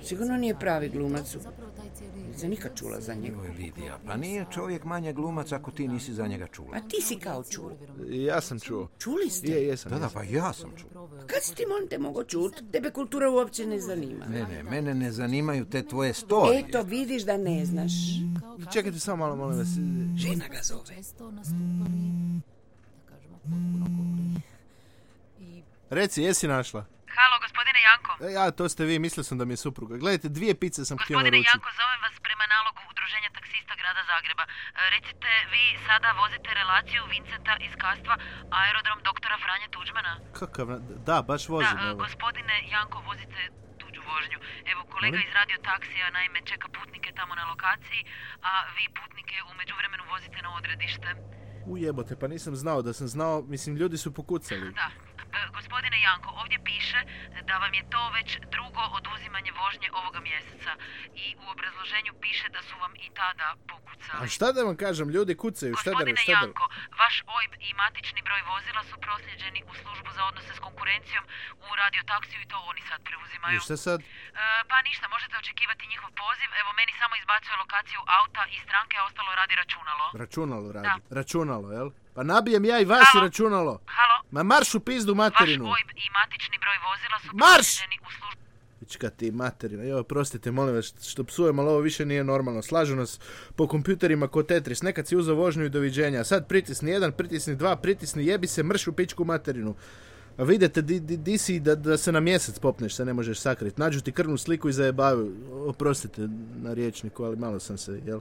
Sigurno nije pravi glumac. Nisam nikad čula za njega. Joj, Lidija, pa nije čovjek manje glumac ako ti nisi za njega čula. A ti si kao čuo. Ja sam čuo. Čuli ste? Je, jesam. Da, da, pa ja sam čuo. Kad si ti, molim te, mogo čuti? Tebe kultura uopće ne zanima. Ne, ne, mene ne zanimaju te tvoje storije. Eto, vidiš da ne znaš. Čekajte samo malo, molim vas. Žena ga zove. Reci, jesi našla? Halo, gospodine Janko. E, ja, to ste vi, mislio sam da mi je supruga. Gledajte, dvije pice sam htio naručiti. Gospodine Janko, zovem vas prema nalogu Udruženja taksista grada Zagreba. E, recite, vi sada vozite relaciju Vincenta iz Kastva, aerodrom doktora Franje Tuđmana? Kakav, da, baš vozim. Da, gospodine Janko, vozite tuđu vožnju. Evo, kolega iz radio taksija, naime, čeka putnike tamo na lokaciji, a vi putnike u međuvremenu vozite na odredište. Ujebote, pa nisam znao, da sam znao, mislim, ljudi su pokucali. Da. Gospodine Janko, ovdje piše da vam je to već drugo oduzimanje vožnje ovoga mjeseca i u obrazloženju piše da su vam i tada pokucali. A šta da vam kažem, ljudi kucaju, šta da... Gospodine šta da... Janko, vaš O I B i matični broj vozila su prosljeđeni u službu za odnose s konkurencijom u radiotaksiju i to oni sad preuzimaju. I šta sad? E, pa ništa, možete očekivati njihov poziv, evo meni samo izbacuje lokaciju auta i stranke, a ostalo radi računalo. Računalo radi, da. Računalo, jel? Pa nabijem ja i vas Halo? i računalo. Halo? Ma marš u pizdu materinu. Vaš O I B i matični broj vozila su Marš! prosljeđeni u službu... Pička ti materina, jo, prostite, molim vas, što psujem, ali ovo više nije normalno. Slažu nas po kompjuterima ko Tetris, nekad si uzeo vožnju i doviđenja, sad pritisni jedan, pritisni dva, pritisni jebi se, mrš u pičku materinu. A vidite, di, di, di si da, da se na mjesec popneš, se ne možeš sakriti. Nađu ti krvnu sliku i zajebaju. Oprostite na riječniku, ali malo sam se, jel?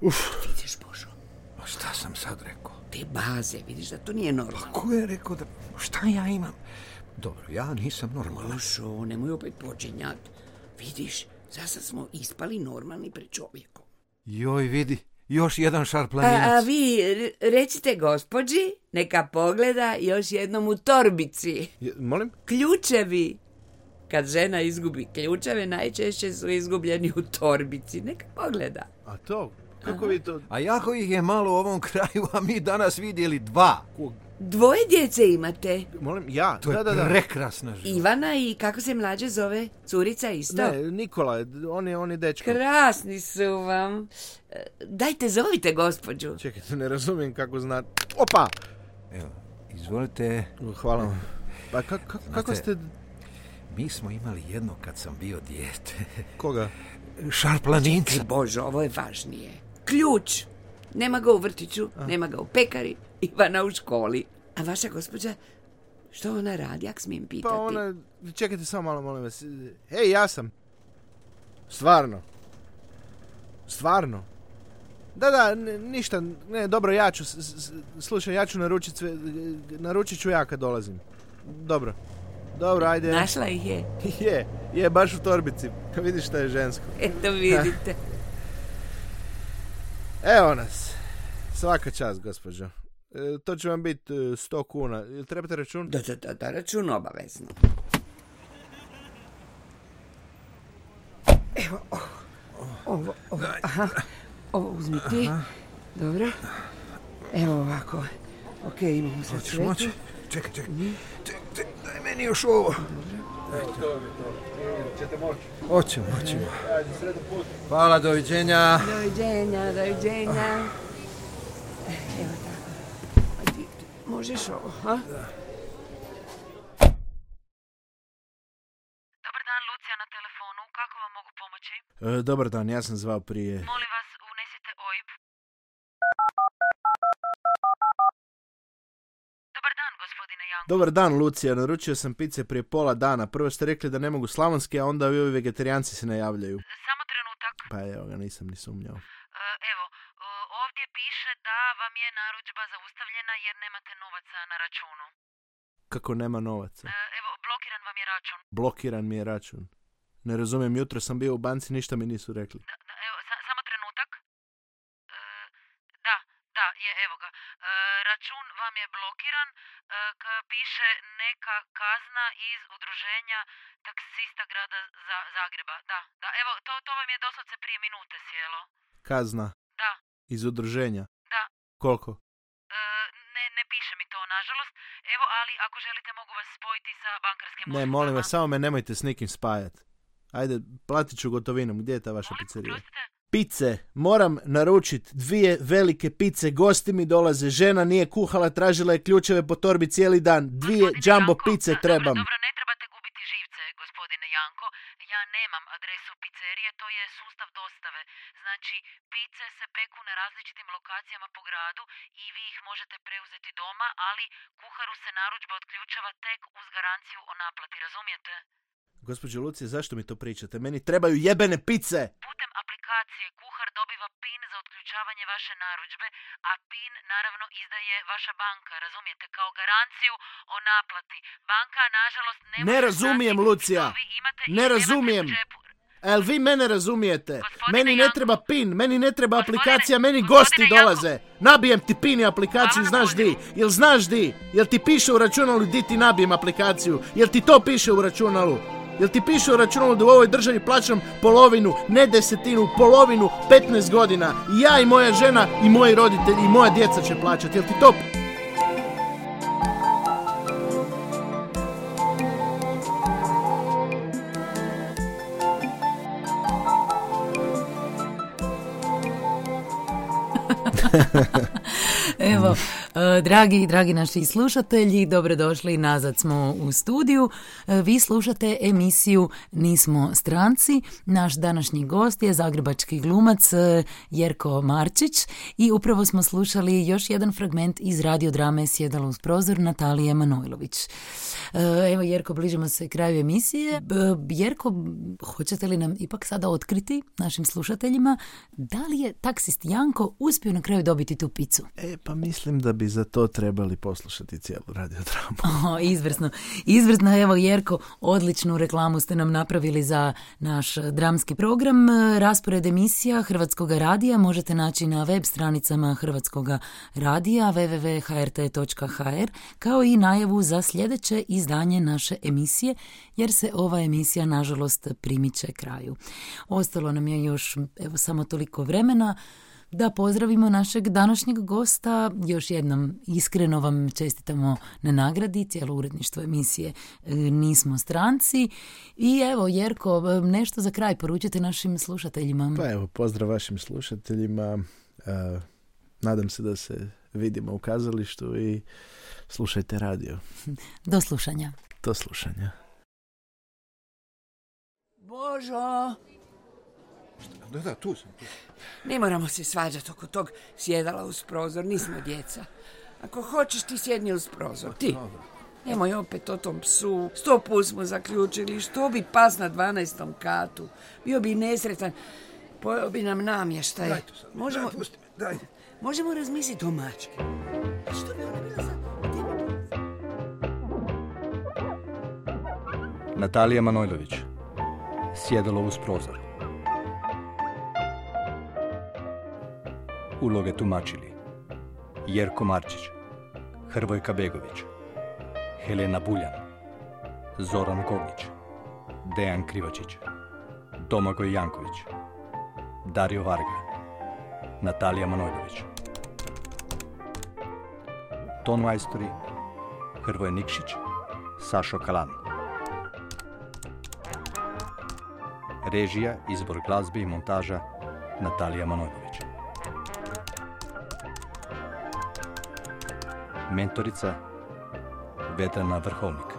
Uf. Vidiš, Božo. A šta sam sad rekao? Te baze, vidiš da to nije normalno. Pa ko je rekao da... Šta ja imam? Dobro, ja nisam normalan. Božo, nemoj opet počinjat. Vidiš, zasad smo ispali normalni pred čovjekom. Joj, vidi, još jedan šarplaninac. A, a vi recite gospođi, neka pogleda još jednom u torbici. Je, molim? Ključevi. Kad žena izgubi ključeve, najčešće su izgubljeni u torbici. Neka pogleda. A to? Kako vi to... A jako ih je malo u ovom kraju, a mi danas vidjeli dva. Dvoje djece imate? Molim, ja? To je da, da, da. prekrasna žena. Ivana i kako se mlađe zove? Curica isto? Ne, Nikola, on je, on je dečko. Krasni su vam. E, Dajte, zovite gospođu. Čekajte, ne razumijem kako zna... Opa! Evo, izvolite. Hvala vam. Pa ka, ka, kako ste... Mi smo imali jedno kad sam bio dijete. Koga? Šarplaninca. Bože, ovo je važnije. Ključ. Nema ga u vrtiću, A. nema ga u pekari, Ivana u školi. A vaša gospođa, što ona radi, ak smijem pitati? Pa ona, čekajte samo malo, molim vas. Hej, ja sam. Stvarno. Stvarno. Da, da, n- ništa, ne, dobro, ja ću, s- s- slušaj, ja ću naručit sve, naručit ću ja kad dolazim. Dobro. Dobro, ajde. Našla ih je? Je, je, baš u torbici. Vidiš šta je žensko. Eto vidite. Evo nas. Svaka čast, gospođo. E, to će vam biti e, sto kuna. Jel trebate račun? Da, da, da, da, račun obavezno. Evo, ovo, ovo, ovo, aha, ovo uzmi ti. Dobro. Evo ovako. Ok, imamo sad sve tu. Čekaj, čekaj. Čekaj, daj meni još ovo. Ćete moći. Hoćemo, hoćemo. Hvala, doviđenja. Doviđenja, doviđenja. Evo tako. Ajde, možeš ovo, ha? Dobar dan, Lucija na telefonu. Kako vam mogu pomoći? E, dobar dan, ja sam zvao prije. Molim vas, unesite O I B. Dobar dan, gospodine Janko. Dobar dan, Lucija. Naručio sam pice prije pola dana. Prvo ste rekli da ne mogu slavonski, a onda ovi vegetarijanci se najavljaju. Samo trenutak. Pa evo ga, nisam ni sumnjao. E, Evo, e, ovdje piše da vam je narudžba zaustavljena jer nemate novaca na računu. Kako nema novaca? E, Evo, blokiran vam je račun. Blokiran mi je račun. Ne razumijem, jutro sam bio u banci, ništa mi nisu rekli. Da, da, evo, sa- samo trenutak. E, da, da, je, evo ga. E, račun vam je blokiran. E, k- piše neka kazna iz udruženja taksista grada Za- Zagreba. Da, da, evo, to, to vam je doslovce prije minute sjelo. Kazna? Da. Iz udruženja? Da. Koliko? E, ne, ne piše mi to, nažalost. Evo, ali ako želite mogu vas spojiti sa bankarskim Ne, uslugama. molim vas, samo me nemojte s nikim spajat. Ajde, platit ću gotovinom. Gdje je ta vaša pizzerija? Pice. Moram naručit dvije velike pice. Gosti mi dolaze. Žena nije kuhala, tražila je ključeve po torbi cijeli dan. Dvije jumbo pice trebam. Dobro, ne trebate gubiti živce, gospodine Janko. Ja nemam adresu pizzerije, to je sustav dostave. Znači, pice se peku na različitim lokacijama po gradu i vi ih možete preuzeti doma, ali kuharu se narudžba otključava tek uz garanciju o naplati, razumijete? Gospođo Lucije, zašto mi to pričate? Meni trebaju jebene pice! Putem aplikacije kuhar dobiva pin za otključavanje vaše narudžbe, a pin naravno izdaje vaša banka, razumijete, kao garanciju o naplati. Banka, nažalost, ne Ne može razumijem, znati Lucija! što vi imate i Ne nemate razumijem! u džepu. El vi mene razumijete? Gospodine Meni ne Janko. treba pin, meni ne treba aplikacija, meni gospodine gosti Janko. dolaze. Nabijem ti pin i aplikaciju, Hvala na znaš di? Jel znaš di? Jel ti piše u računalu di ti nabijem aplikaciju? Jel ti to piše u računalu? Jel ti piše u računalu da u ovoj državi plaćam polovinu, ne desetinu, polovinu, petnaest godina? I ja i moja žena i moji roditelji i moja djeca će plaćati. Jel ti to... Evo, e, dragi, dragi naši slušatelji, dobrodošli, nazad smo u studiju. E, Vi slušate emisiju Nismo stranci. Naš današnji gost je zagrebački glumac e, Jerko Marčić i upravo smo slušali još jedan fragment iz radiodrame Sjedalo uz prozor Natalije Manojlović. E, Evo, Jerko, bližimo se kraju emisije. B- Jerko, hoćete li nam ipak sada otkriti našim slušateljima da li je taksist Janko uspio na kraju dobiti tu picu? E, pa mislim da bi za to trebali poslušati cijelu radiodramu. O, izvrsno. Izvrsno, evo Jerko, odličnu reklamu ste nam napravili za naš dramski program. Raspored emisija Hrvatskog radija možete naći na web stranicama Hrvatskog radija w w w tačka h r t tačka h r kao i najavu za sljedeće izdanje naše emisije, jer se ova emisija nažalost primiče kraju. Ostalo nam je još evo samo toliko vremena da pozdravimo našeg današnjeg gosta. Još jednom iskreno vam čestitamo na nagradi, cijelo uredništvo emisije Nismo stranci. I evo, Jerko, nešto za kraj poručite našim slušateljima. Pa evo, pozdrav vašim slušateljima. Uh, nadam se da se vidimo u kazalištu i slušajte radio. Do slušanja. Do slušanja. Božo! Da, da, tu sam. Tu. Ne moramo se svađati oko tog sjedala uz prozor, nismo djeca. Ako hoćeš ti sjedni uz prozor, ti. Nemoj opet o tom psu. Sto put smo zaključili, što bi pas na dvanaestom katu. Bio bi nesretan, pojeo bi nam namještaj. Daj to sad, možemo, daj, pusti me, daj. Možemo razmisliti o mački. Što bi ona bila za... Natalija Manojlović, sjedalo uz prozor. Uloge tumačili Jerko Marčić, Hrvojka Begović, Helena Buljan, Zoran Koglić, Dejan Krivačić, Domagoj Janković, Dario Varga, Natalija Manojlović. Ton majstori Hrvoje Nikšić, Sašo Kalan. Režija, izbor glazbe i montaža Natalija Manojlović. Mentorica Vedrana Vrhovnik.